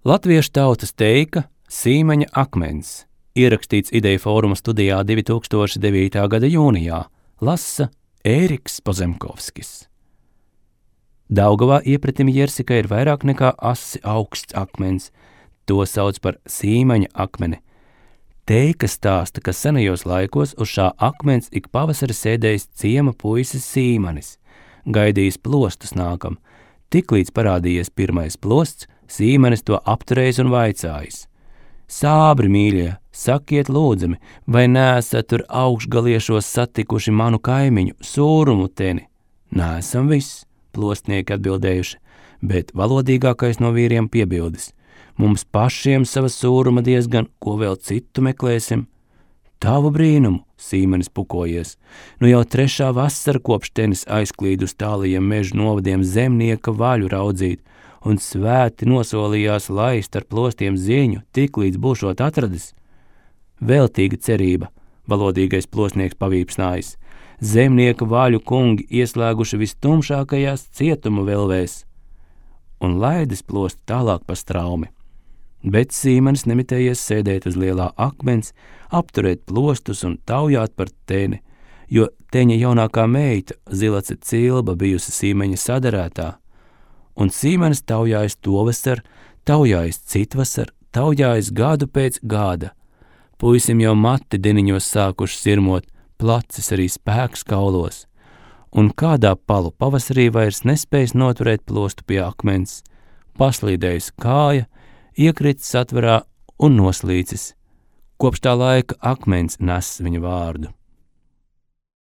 Latviešu tautas teika Sīmaņa akmens, ierakstīts Ideju fóruma studijā 2009. gada jūnijā, lasa Ēriks Pozemkovskis. Daugavā iepratim Jersikai ir vairāk nekā asi augsts akmens, to sauc par Sīmaņa akmeni. Teika stāsta, ka senajos laikos uz šā akmens ik pavasari sēdējis ciema puisis Sīmanis, gaidījis plostus nākam. Tiklīdz parādījies pirmais plosts, Sīmanis to apturējis un vaicājis: Sābri, mīļie, sakiet lūdzami, vai neesat tur augšgaliešos satikuši manu kaimiņu Sūrumuteni? Neesam viss, plostnieki atbildējuši, bet valodīgākais no vīriem piebildis: mums pašiem sava sūruma diezgan, ko vēl citu meklēsim? Tavu brīnumu, Sīmanis pukojies, nu jau 3. vasara kopš tenis aizklīd uz tālajiem mežu novadiem zemnieka vaļu raudzīt, un svēti nosolījās laist ar plostiem ziņu, tiklīdz būšot atradis. Veltīga cerība, valodīgais plostnieks pavīpsnājis, zemnieka vaļu kungi ieslēguši vistumšākajās cietuma velvēs, un laidis plostu tālāk pa straumi. Bet Sīmanis nemitējies sēdēt uz lielā akmens, apturēt plostus un taujāt par teni, jo teņa jaunākā meita, Zilace Cilba, bijusi Sīmaņa sadarētā, un Sīmanis taujājis tovasar, taujājis citvasar, taujājis gadu pēc gada. Puisim jau mati deniņos sākuši sirmot, placis arī spēks kaulos, un kādā palu pavasarī vairs nespējis noturēt plostu pie akmens, paslīdējis kāja, iekritis atverā un noslīcis. Kopš tā laika akmens nes viņa vārdu.